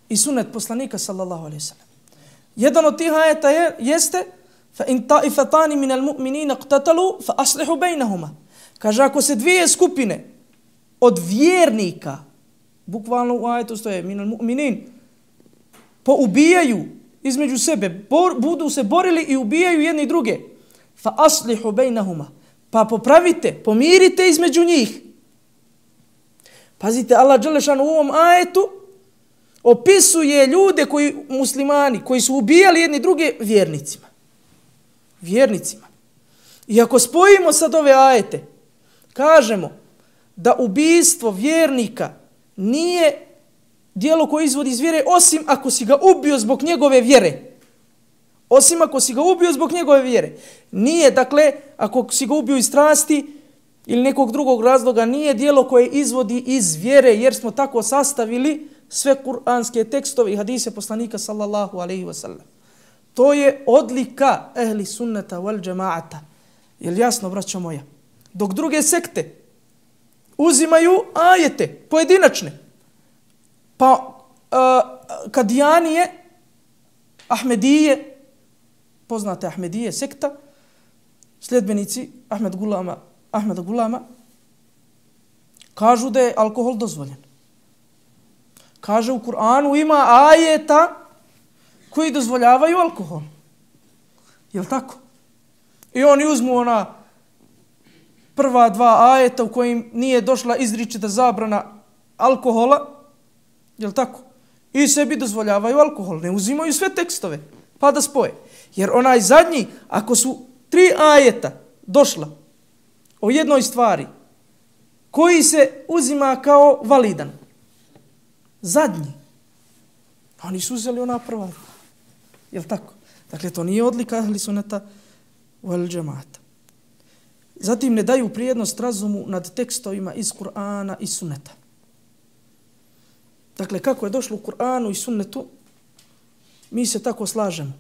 I sunnet poslanika, sallallahu alejhi ve sellem. Jedan od tih ajeta je, jeste fa in ta'ifatani min al-mu'minina iqtatalu fa aslihu bainahuma. Kaže, ako se dvije skupine od vjernika, bukvalno u ajetu stoje min al-mu'minin, poubijaju između sebe, bor, budu se borili i ubijaju jedni druge, fa aslihu bainahuma, pa popravite, pomirite između njih. Pazite, Allah dželešan u ovom ajetu opisuje ljude koji, muslimani, koji su ubijali jedni druge vjernicima. Vjernicima. I ako spojimo sad ove ajete, kažemo da ubijstvo vjernika nije djelo koje izvodi iz vjere, osim ako si ga ubio zbog njegove vjere. Osim ako si ga ubio zbog njegove vjere. Nije, dakle, ako si ga ubio iz strasti ili nekog drugog razloga, nije djelo koje izvodi iz vjere, jer smo tako sastavili sve kuranske tekstove i hadise poslanika sallallahu alejhi ve sellem. To je odlika ehli sunnata wal džemaata. Jel jasno, braćo moja? Dok druge sekte uzimaju ajete pojedinačne, pa uh, Kadijanije, Ahmedije, poznate Ahmedije sekta, sljedbenici Ahmed Gulama, Ahmeda Gulama, kažu da je alkohol dozvoljen. Kaže, u Kur'anu ima ajeta koji dozvoljavaju alkohol. Jel' tako? I oni uzmu ona prva dva ajeta u kojim nije došla izričita zabrana alkohola, jel' tako? I sebi dozvoljavaju alkohol. Ne uzimaju sve tekstove, pa da spoje. Jer onaj zadnji, ako su tri ajeta došla o jednoj stvari koji se uzima kao validan, zadnji, oni su uzeli ona prva. Jel' tako? Dakle, to nije odlika ahli sunnata wal džemaata. Zatim ne daju prijednost razumu nad tekstovima iz Kur'ana i sunneta. Dakle, kako je došlo u Kur'anu i sunnetu, mi se tako slažemo.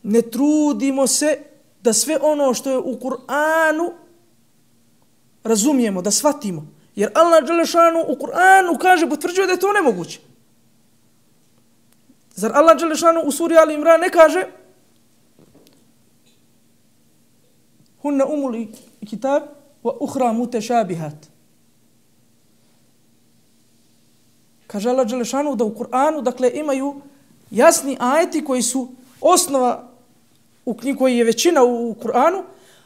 Ne trudimo se da sve ono što je u Kur'anu razumijemo, da shvatimo. Jer Allah dželešanu u Kur'anu kaže, potvrđuje da je to nemoguće. Zar Allah dželešanu u suri Ali Imran ne kaže hunna umul kitab wa ukhra mutashabihat. Kaže Allah dželešanu da u Kur'anu dakle imaju jasni ajeti koji su osnova u knjigi koji je većina u Kur'anu,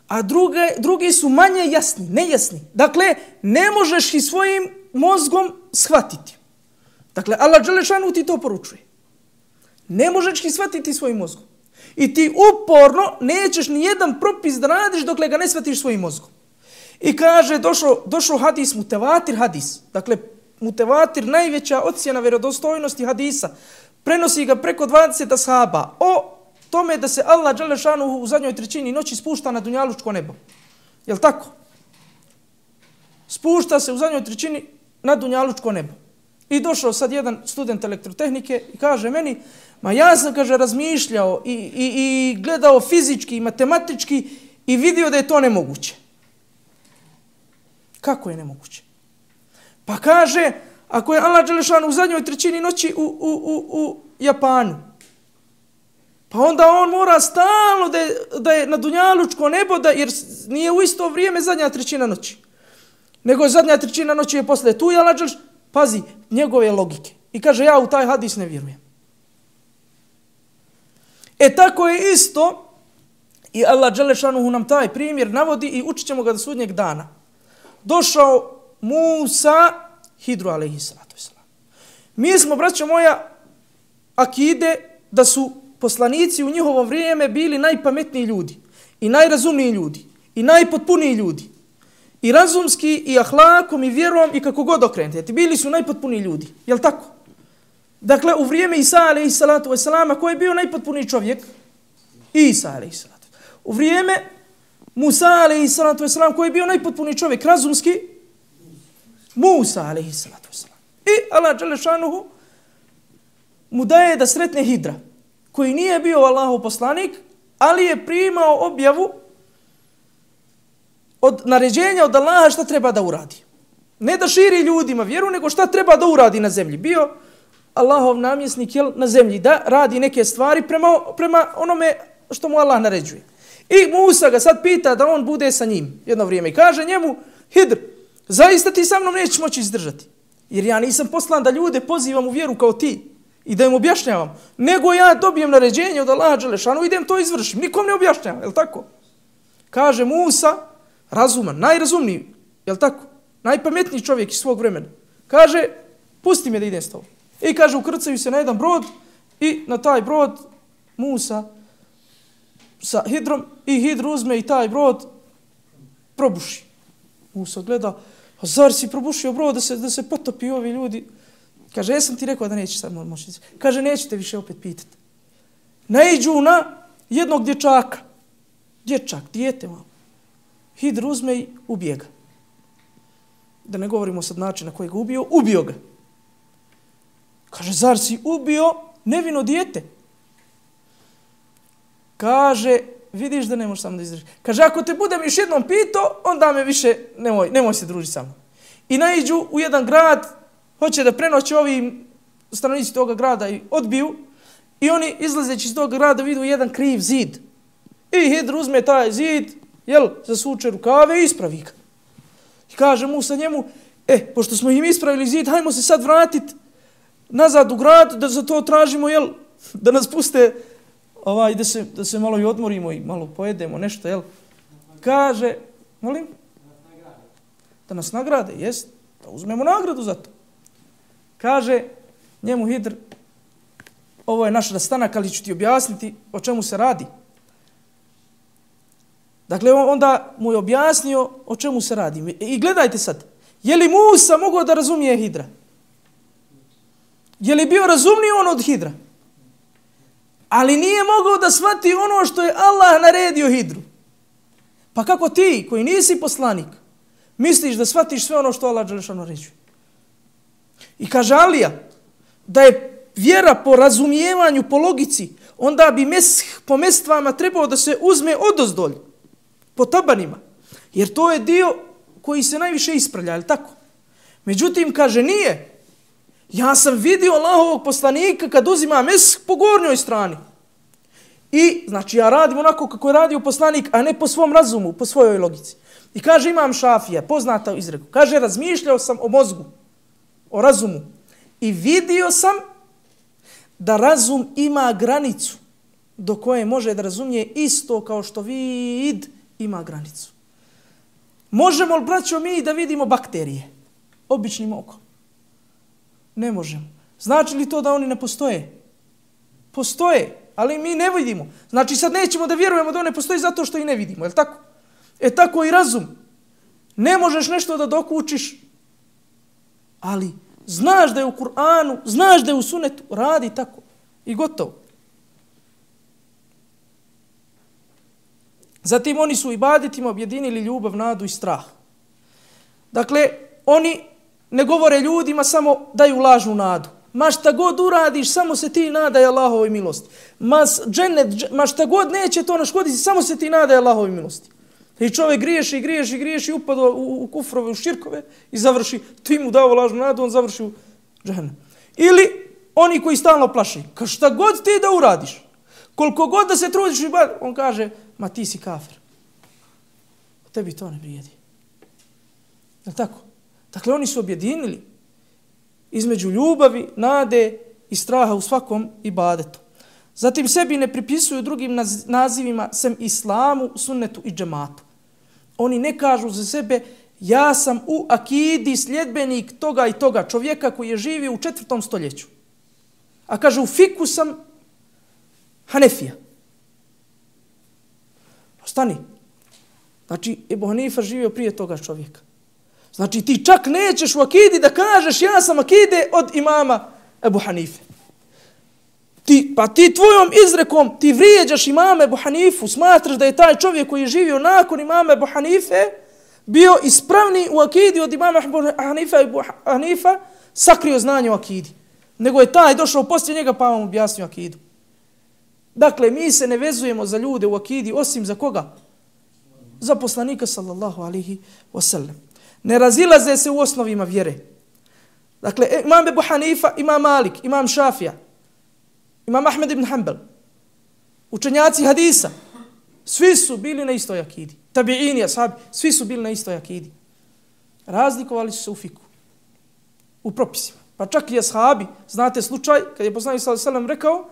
a druge, drugi su manje jasni, nejasni. Dakle, ne možeš i svojim mozgom shvatiti. Dakle, Allah dželešanu ti to poručuje. Ne možeš ih shvatiti svojim mozgom. I ti uporno nećeš ni jedan propis da radiš dokle ga ne shvatiš svojim mozgom. I kaže, došao, došao hadis, mutevatir hadis. Dakle, mutevatir, najveća ocjena vjerodostojnosti hadisa. Prenosi ga preko dvadeset ashaba o tome da se Allah dželešanu u zadnjoj trećini noći spušta na dunjalučko nebo. Jel tako? Spušta se u zadnjoj trećini na dunjalučko nebo. I došao sad jedan student elektrotehnike i kaže meni, ma ja sam, kaže, razmišljao i, i, i gledao fizički i matematički i vidio da je to nemoguće. Kako je nemoguće? Pa kaže, ako je Allah dželešanu u zadnjoj trećini noći u, u, u, u Japanu, pa onda on mora stalno da je, da je na dunjalučko nebo, da, jer nije u isto vrijeme zadnja trećina noći. Nego zadnja trećina noći je posle tu, Allah dželešanu, pazi, njegove logike. I kaže, ja u taj hadis ne vjerujem. E tako je isto, i Allah dželešanu nam taj primjer navodi i učit ćemo ga do sudnjeg dana. Došao Musa, Hidru alejhiselatu vesselam. Mi smo, braćo moja, akide da su poslanici u njihovo vrijeme bili najpametniji ljudi i najrazumniji ljudi i najpotpuniji ljudi. I razumski, i ahlakom, i vjerom, i kako god okrenete. Bili su najpotpuniji ljudi. Jel tako? Dakle, u vrijeme Isa alejhiselatu vesselama, ko je bio najpotpuniji čovjek? Isa alejhiselatu. U vrijeme Musa alejhiselatu vesselam, ko je bio najpotpuniji čovjek? Razumski? Musa alejhiselatu vesselam. I Allah dželešanuhu mu daje da sretne Hidra, koji nije bio Allahov poslanik, ali je primao objavu od naređenja od Allaha šta treba da uradi. Ne da širi ljudima vjeru, nego šta treba da uradi na zemlji. Bio Allahov namjesnik jel, na zemlji, da radi neke stvari prema, prema onome što mu Allah naređuje. I Musa ga sad pita da on bude sa njim jedno vrijeme i kaže njemu, Hidr, zaista ti sa mnom nećeš moći izdržati. Jer ja nisam poslan da ljude pozivam u vjeru kao ti i da im objašnjavam, nego ja dobijem naređenje od Allaha dželešanu i idem to izvršim. Nikom ne objašnjavam, je li tako? Kaže Musa, razuman, najrazumniji, je li tako? Najpametniji čovjek iz svog vremena. Kaže, pusti me da idem s tobom. I kaže, ukrcaju se na jedan brod i na taj brod Musa sa Hidrom i Hidr uzme i taj brod probuši. Musa gleda, a zar si probušio brod da se, da se potopi ovi ljudi? Kaže, jesam ti rekao da neće sad moći. Kaže, nećete više opet pitati. Naiđu na jednog dječaka. Dječak, dijete malo. Hidr uzme i ubije ga. Da ne govorimo sad način na koji ga ubio, ubio ga. Kaže, zar si ubio nevino dijete? Kaže, vidiš da ne možeš samo da izdržiš. Kaže, ako te budem još jednom pitao, onda me više nemoj, nemoj se družiti sa mnom. I naiđu u jedan grad, hoće da prenoće ovi stanovnici toga grada i odbiju. I oni izlazeći iz toga grada vidu jedan kriv zid. I Hidr uzme taj zid, jel, zasuče rukave i ispravi ga. I kaže Musa njemu, e, pošto smo im ispravili zid, hajmo se sad vratiti nazad u grad, da za to tražimo, jel, da nas puste, ovaj, da se, da se malo i odmorimo i malo pojedemo nešto, jel. Kaže, molim? Da nas nagrade, jest, da uzmemo nagradu za to. Kaže njemu Hidr, ovo je naš rastanak, ali ću ti objasniti o čemu se radi. Dakle, onda mu je objasnio o čemu se radi. I gledajte sad, je li Musa mogao da razumije Hidra? Je li bio razumniji on od Hidra? Ali nije mogao da shvati ono što je Allah naredio Hidru. Pa kako ti, koji nisi poslanik, misliš da shvatiš sve ono što Allah dželešanu naređuje? I kaže Alija, da je vjera po razumijevanju, po logici, onda bi mesh po mestvama trebao da se uzme odozdolj, po tabanima. Jer to je dio koji se najviše ispravlja, ali tako? Međutim, kaže, nije. Ja sam vidio Allahovog poslanika kad uzima mesh po gornjoj strani. I, znači, ja radim onako kako je radio poslanik, a ne po svom razumu, po svojoj logici. I kaže, imam Šafija, poznata izreku. Kaže, razmišljao sam o mozgu, o razumu. I vidio sam da razum ima granicu do koje može da razumije isto kao što vid ima granicu. Možemo li, braćo, mi da vidimo bakterije običnim okom? Ne možemo. Znači li to da oni ne postoje? Postoje, ali mi ne vidimo. Znači sad nećemo da vjerujemo da one postoji zato što i ne vidimo, je li tako? E tako i razum. Ne možeš nešto da dokučiš, ali znaš da je u Kur'anu, znaš da je u Sunnetu, radi tako i gotovo. Zatim oni su u ibadetima objedinili ljubav, nadu i strah. Dakle, oni ne govore ljudima, samo daju lažnu nadu. Ma šta god uradiš, samo se ti nadaj Allahovoj milosti. Ma, džennet, ma šta god neće to naškoditi, samo se ti nadaj Allahovoj milosti. I čovjek griješi, griješi, griješi, upada u, u kufrove, u širkove i završi, ti mu dao lažnu nadu, on završi u džehennem. Ili oni koji stalno plaši, ka šta god ti da uradiš, koliko god da se trudiš, on kaže, ma ti si kafir. Tebi to ne vrijedi. Je li tako? Dakle, oni su objedinili između ljubavi, nade i straha u svakom ibadetu. Zatim sebi ne pripisuju drugim nazivima sem islamu, sunnetu i džematu. Oni ne kažu za sebe, ja sam u akidi sljedbenik toga i toga čovjeka koji je živio u četvrtom stoljeću. A kaže, u fiku sam Hanefija. Ostani. Znači, Ebu Hanifa živio prije toga čovjeka. Znači, ti čak nećeš u akidi da kažeš, ja sam akide od imama Ebu Hanife. Ti, pa ti tvojom izrekom ti vrijeđaš imama Ebu Hanifu, smatraš da je taj čovjek koji je živio nakon imama Ebu Hanife bio ispravni u akidi od imama Ebu Hanifa i Ebu Hanifa sakrio znanje o akidi. Nego je taj došao poslije njega pa vam objasnio akidu. Dakle, mi se ne vezujemo za ljude u akidi osim za koga? Za poslanika sallallahu alaihi wasallam. Ne razilaze se u osnovima vjere. Dakle, imam Ebu Hanifa, imam Malik, imam Šafija, imam Ahmed ibn Hanbal, učenjaci hadisa, svi su bili na istoj akidi. Tabi'ini, ashabi, svi su bili na istoj akidi. Razlikovali su se u fiku, u propisima. Pa čak i ashabi, znate slučaj, kad je poslanik sallallahu alejhi ve sellem rekao,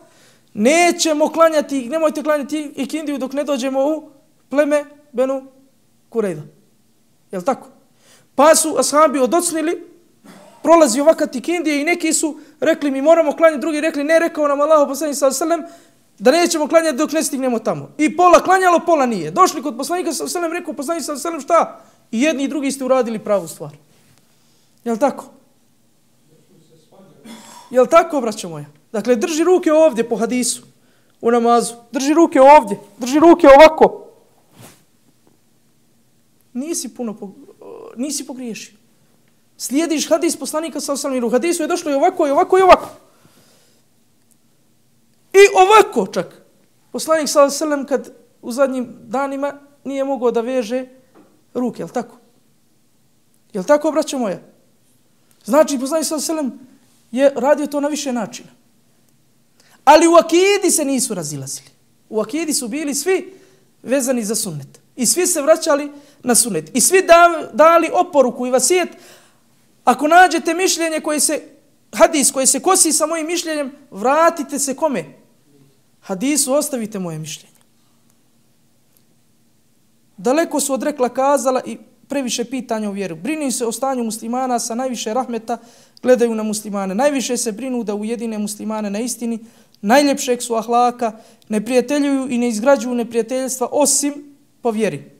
nećemo klanjati, nemojte klanjati ikindiju dok ne dođemo u pleme Benu Kurejda. Jel' tako? Pa su ashabi odocnili, prolazi ovakav ikindije i neki su rekli mi moramo klanjati, drugi rekli ne, rekao nam Allah poslanik sallallahu alejhi ve sellem da nećemo klanjati dok ne stignemo tamo. I pola klanjalo, pola nije. Došli kod poslanika sallallahu alejhi ve sellem, rekao poslanik sallallahu alejhi ve sellem šta? I jedni i drugi ste uradili pravu stvar. Jel' tako? Jel' tako, braćo moja? Dakle, drži ruke ovdje po hadisu, u namazu. Drži ruke ovdje, drži ruke ovako. Nisi puno, po, nisi pogriješio. Slijediš hadis poslanika sallallahu alejhi ve sellem, u hadisu je došlo i ovako, i ovako, i ovako. I ovako čak. Poslanik sallallahu alejhi ve sellem kad u zadnjim danima nije mogao da veže ruke, jel' tako? Jel' tako, braćo moja? Znači, poslanik sallallahu alejhi ve sellem je radio to na više načina. Ali u akidi se nisu razilazili. U akidi su bili svi vezani za sunnet. I svi se vraćali na sunnet. I svi dali oporuku i vasijet. Ako nađete mišljenje koje se, hadis koje se kosi sa mojim mišljenjem, vratite se kome? Hadisu, ostavite moje mišljenje. Daleko su od rekla kazala i previše pitanja u vjeru. Brinu se o stanju muslimana, sa najviše rahmeta gledaju na muslimane. Najviše se brinu da ujedine muslimane na istini, najljepšeg su ahlaka, ne prijateljuju i ne izgrađuju neprijateljstva osim po vjeri.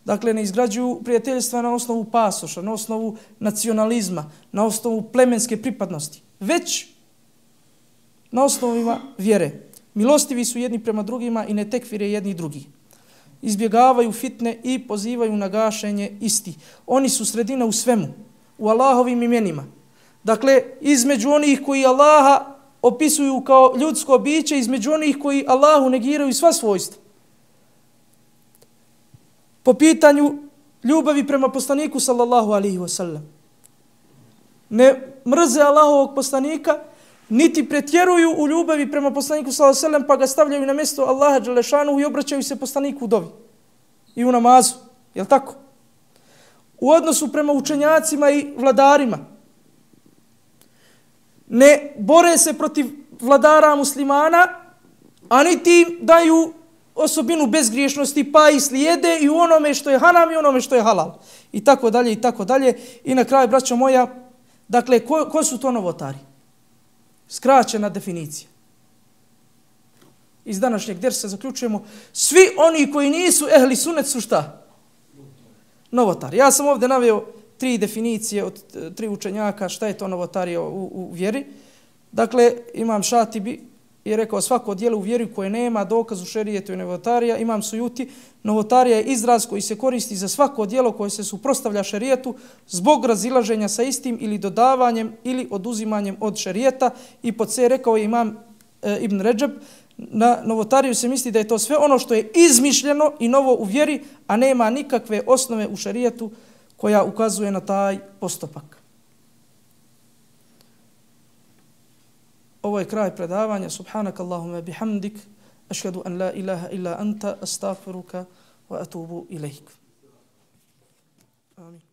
Dakle, ne izgrađuju prijateljstva na osnovu pasoša, na osnovu nacionalizma, na osnovu plemenske pripadnosti, već na osnovima vjere. Milostivi su jedni prema drugima i ne tekfire jedni drugi. Izbjegavaju fitne i pozivaju na gašenje isti. Oni su sredina u svemu, u Allahovim imenima. Dakle, između onih koji Allaha opisuju kao ljudsko biće između onih koji Allahu negiraju sva svojstva. Po pitanju ljubavi prema poslaniku sallallahu alaihi wa sallam. Ne mrze Allahovog poslanika, niti pretjeruju u ljubavi prema poslaniku sallallahu alaihi wa sallam, pa ga stavljaju na mjesto Allaha dželešanu i obraćaju se poslaniku u dovi i u namazu. Jel tako? U odnosu prema učenjacima i vladarima. Ne bore se protiv vladara muslimana, a niti im daju osobinu bezgriješnosti, pa i slijede i u onome što je haram i onome što je halal. I tako dalje, i tako dalje. I na kraju, braćo moja, dakle, ko, ko su to novotari? Skraćena definicija. Iz današnjeg dersa zaključujemo, svi oni koji nisu ehli sunet su šta? Novotari. Ja sam ovdje naveo tri definicije od tri učenjaka šta je to novotarija u, u vjeri. Dakle, Imam Šatibi je rekao svako djelo u vjeri koje nema dokaz u šerijetu je novotarija. Imam Sujuti, novotarija je izraz koji se koristi za svako djelo koje se suprotstavlja šerijetu zbog razilaženja sa istim ili dodavanjem ili oduzimanjem od šerijeta. I pod se rekao je Imam e, Ibn Redžeb, na novotariju se misli da je to sve ono što je izmišljeno i novo u vjeri, a nema nikakve osnove u šerijetu koja ukazuje na taj postupak. Ovo je kraj predavanja. Subhanak Allahumma bihamdik, ašhadu an la ilaha illa anta, astaghfiruka wa atubu ilaik. Amin.